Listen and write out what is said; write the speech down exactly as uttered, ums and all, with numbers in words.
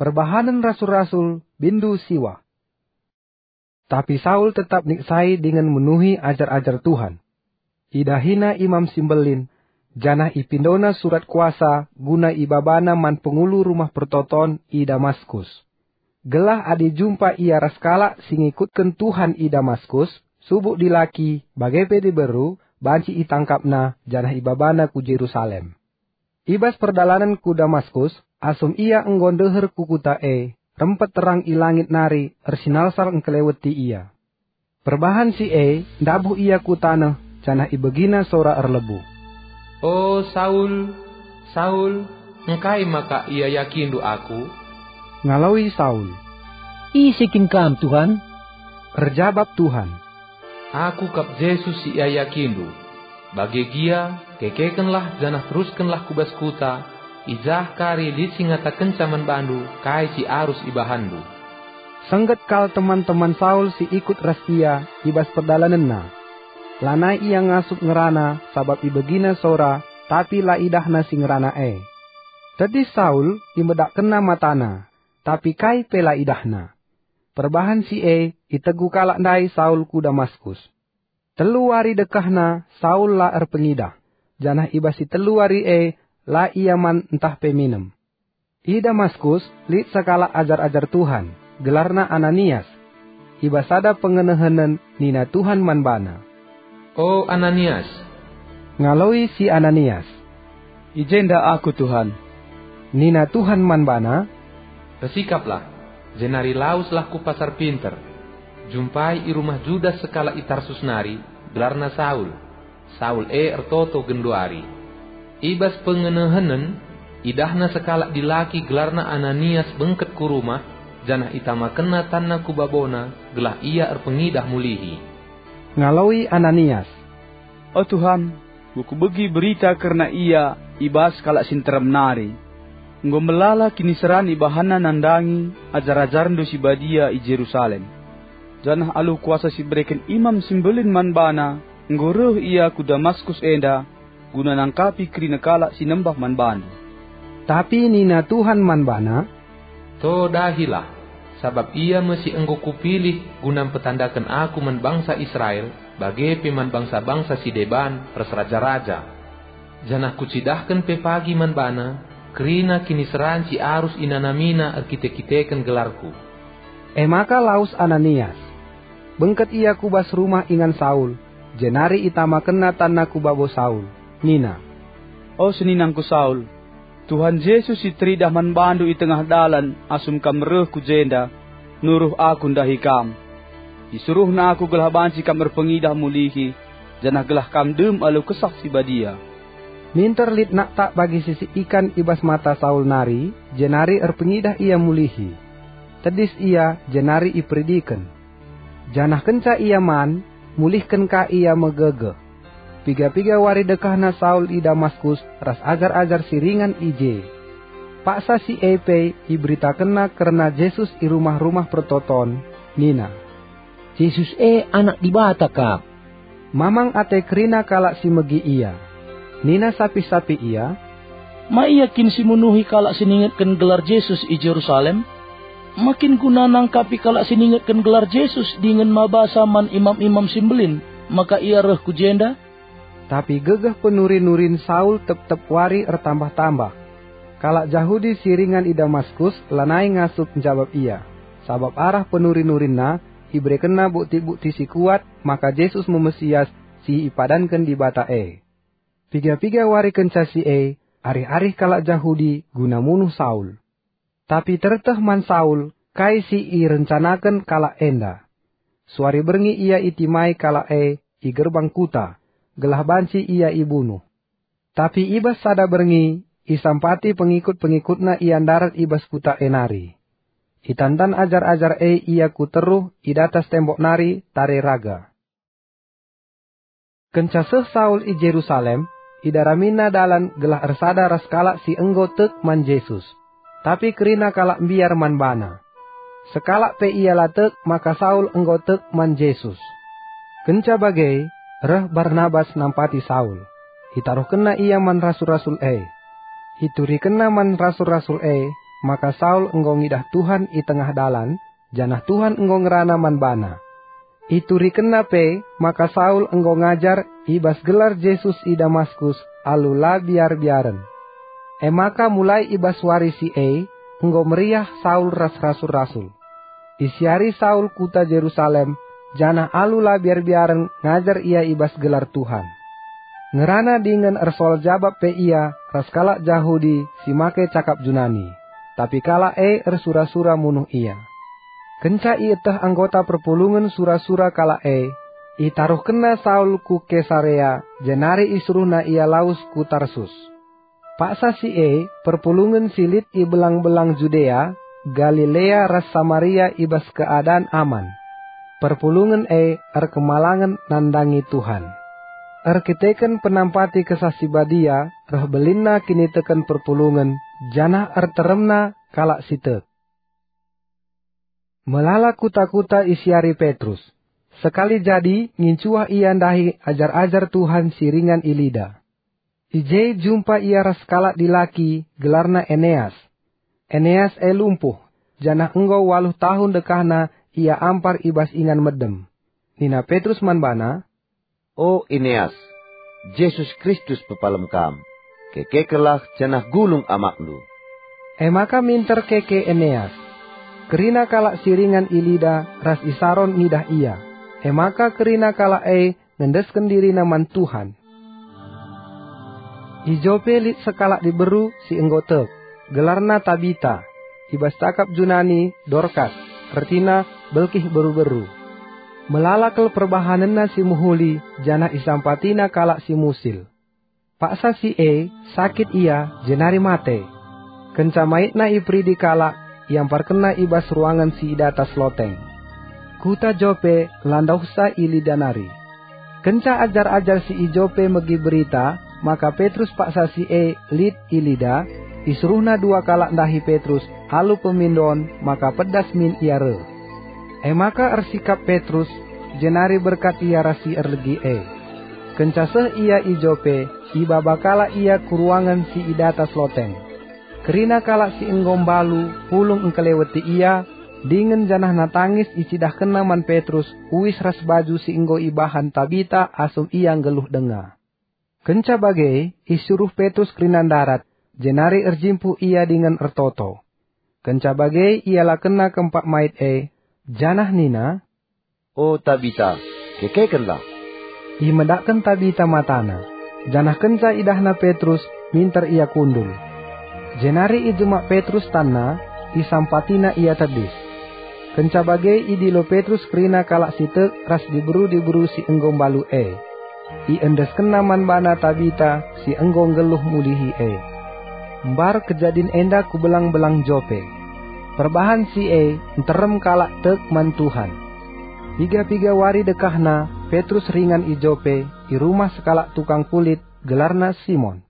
Perbahanen Rasul-rasul, bindu siwah. Tapi Saul tetap niksai dingen menuhi ajar-ajar Tuhan. Idahina Imam si Mbelin, janah ipindona surat kuasa guna ibabana man pengulu rumah pertoton i Damaskus. Gelah adi jumpa ia ras kalak si ngikutken Tuhan i Damaskus, subuk dilaki, bage pe diberu, banci itangkapna janah ibabana ku Jerusalem. I bas perdalanen ku Damaskus, asum ia enggo ndeher ku kuta e, rempet terang i langit nari ersinalsal engkeleweti ia. Perbahan si e ndabuh ia ku taneh, janah ibegina sora erlebuh, "O Saul, Saul, engkai maka iayakindu Aku?" Ngaloi Saul, "Ise kin Kam, Tuhan?" Erjabap Tuhan, "Aku kap Jesus si iayakindu. Bage gia, kekekenlah janah teruskenlah ku bas kuta, i jah kari lit si ngatakenca man bandu kai si arus ibahanndu." Sengget kal teman-teman Saul si ikut ras ia i bas perdalanenna. Lanai ia ngasup ngerana sabap ibegina sora, tapi la idahna si ngerana e. Tedis Saul, imedakkenna matana, tapi kai pe la idahna. Perbahan si e, itegu kalak ndai Saul ku Damaskus. Telu wari dekahna Saul la erpengidah, janah i bas si telu wari e la ia man ntah pe minem. I Damaskus lit sekalak ajar-ajar Tuhan, gelarna Ananias. I bas sada pengenehenen nina Tuhan man bana, "O Ananias!" Ngaloi si Ananias, "I jenda aku, Tuhan." Nina Tuhan man bana, "Ersikaplah, jenari laweslah ku Pasar Pinter. Jumpai i rumah Judas sekalak i Tarsus nari, gelarna Saul. Saul e ertoto genduari." I bas pengenehenen, idahna sekalak dilaki gelarna Ananias bengket ku rumah, janah itamakenna tanna ku babona gelah ia erpengidah mulihi. Ngaloi Ananias, "O Tuhan, enggo kubegi berita kerna ia i bas kalak si nterem nari. Enggo melala kiniseran ibahanna nandangi ajar-ajarNdu si badia i Jerusalem. Janah alu kuasa si ibereken Imam si Mbelin man bana, enggo reh ia ku Damaskus enda guna nangkapi kerina kalak si nembah man bandu." Tapi nina Tuhan man bana, "To dahilah, sabap ia me si enggo Kupilih guna mpetandaken Aku man bangsa Israel, bage pe man bangsa-bangsa si deban ras raja-raja. Janah Kucidahken pe pagi man bana kerina kiniseran si arus inanamina erkite-kiteken gelarKu." E maka lawes Ananias. Bengket ia ku bas rumah ingan Saul, jenari itamakenna tanna ku babo Saul, nina, "O seninangku Saul, Tuhan Jesus si teridah man bandu i tengah dalan asum kam reh ku jenda, nuruh aku ndahi kam. IsuruhNa aku gelah banci kam erpengidah mulihi, janah gelah kam dem alu Kesah Si Badia." Minter lit naktak bagi sisik ikan i bas mata Saul nari, jenari erpengidah ia mulihi. Tedis ia, jenari iperidiken. Janah kenca ia man, mulihken ka ia megegeh. Piga-piga wari dekahna Saul i Damaskus ras ajar-ajar si ringan i je. Paksa si e pe iberitakenna kerna Jesus i rumah-rumah pertoton, nina, "Jesus e Anak Dibata kap." Mamang ate kerina kalak si megi ia. Nina sapih-sapih ia, "Ma ia kin si munuhi kalak si ningetken gelar Jesus i Jerusalem? Ma kin guna nangkapi kalak si ningetken gelar Jesus dingen mabasa man imam-imam si mbelin maka ia reh ku jenda?" Tapi gegeh penuri-nurin Saul tep-tep wari ertambah-tambah. Kalak Jahudi si ringan i Damaskus lanai ngasup njabap ia, sabap arah penuri-nurinna iberekenna bukti-bukti si kuat maka Jesus me Mesias si ipadanken Dibata e. Piga-piga wari kenca si e, arih-arih kalak Jahudi guna munuh Saul. Tapi terteh man Saul kai si irencanaken kalak enda. Suari berngi ia itimai kalak e i gerbang kuta, gelah banci ia ibunuh. Tapi i bas sada berngi, isampati pengikut-pengikutna ia ndarat i bas kuta e nari. Itantan ajar-ajar e ia ku teruh i datas tembok nari tare raga. Kenca seh Saul i Jerusalem, idaramina dalan gelah ersada ras kalak si enggo tek man Jesus. Tapi kerina kalak mbiar man bana. Sekalak pe ia la tek maka Saul enggo tek man Jesus. Kenca bage, reh Barnabas nampati Saul. Itaruhkenna ia man rasul-rasul e. Iturikenna man rasul-rasul e, maka Saul enggo ngidah Tuhan i tengah dalan, janah Tuhan enggo ngerana man bana. Iturikenna pe maka Saul enggo ngajar i bas gelar Jesus i Damaskus alu la biar-biaren. E maka mulai i bas wari si e enggo meriah Saul ras rasul-rasul. Isiari Saul kuta Jerusalem, janah alu la biar-biaren ngajar ia i bas gelar Tuhan. Ngerana dingen ersoal jabap pe ia ras kalak Jahudi si make cakap Junani, tapi kalak e ersura-sura munuh ia. Kenca ieteh anggota perpulungen sura-sura kalak e, itaruhkenna Saul ku Kesarea, jenari isuruhna ia lawes ku Tarsus. Paksa si e, perpulungen si lit i belang-belang Judea, Galilea ras Samaria i bas keadan aman. Perpulungen e erkemalangen nandangi Tuhan. Erkiteken penampati Kesah Si Badia reh belinna kiniteken perpulungen, janah erteremna kalak si tek. Melala kuta-kuta isiari Petrus. Sekali jadi ngincuah ia ndahi ajar-ajar Tuhan si ringan i Lida. I je jumpa ia ras kalak dilaki gelarna Eneas. Eneas e lumpuh, janah enggo waluh tahun dekahna ia ampar i bas ingan medem. Nina Petrus man bana, "O Eneas, Jesus Kristus pepalem kam. Kekekenlah janah gulung amakndu." E maka minter keke Eneas. Kerina kalak si ringan i Lida ras i Saron ngidah ia. E maka kerina kalak e ngendesken dirina man Tuhan. I Jope lit sekalak diberu si enggo tek, gelarna Tabita, i bas cakap Junani Dorkas, ertina belkih beru-beru. Melala kal perbahanenna si mehuli, janah isampatina kalak si musil. Paksa si e, sakit ia, jenari mate. Kenca maitna iperidi kalak, iamparkenna i bas ruangen si i datas loteng. Kuta Jope la ndauhsa i Lida nari. Kenca ajar-ajar si i Jope megi berita maka Petrus paksa si e lit i Lida, isuruhna dua kalak ndahi Petrus alu pemindon maka pedas min ia reh. E maka ersikap Petrus, jenari berkat ia ras si erlegi e. Kenca seh ia i Jope, ibaba kalak ia ku ruangen si i datas loteng. Kerina kalak si enggo mbalu pulung engkeleweti ia, dingen janahna tangis icidahkenna man Petrus uis ras baju si enggo ibahan Tabita asum ia nggeluh denga. Kenca bage, isuruh Petrus kerina ndarat, jenari erjimpuh ia dingen ertoto. Kenca bage, ialakenna kempak mait e, janah nina, "O Tabita, kekekenlah!" Imedakken Tabita matana, janah kenca idahna Petrus, minter ia kundul. Jenari ijemak Petrus tanna, isampatina ia tedis. Kenca bage idilo Petrus kerina kalak si tek ras diberu-diberu si enggo mbalu e. Iendeskenna man bana Tabita si enggo nggeluh mulihi e. Mbar kejadin enda ku belang-belang Jope. Perbahan si e nterem kalak tek man Tuhan. Piga-piga wari dekahna, Petrus ringan i Jope, i rumah sekalak tukang kulit, gelarna Simon.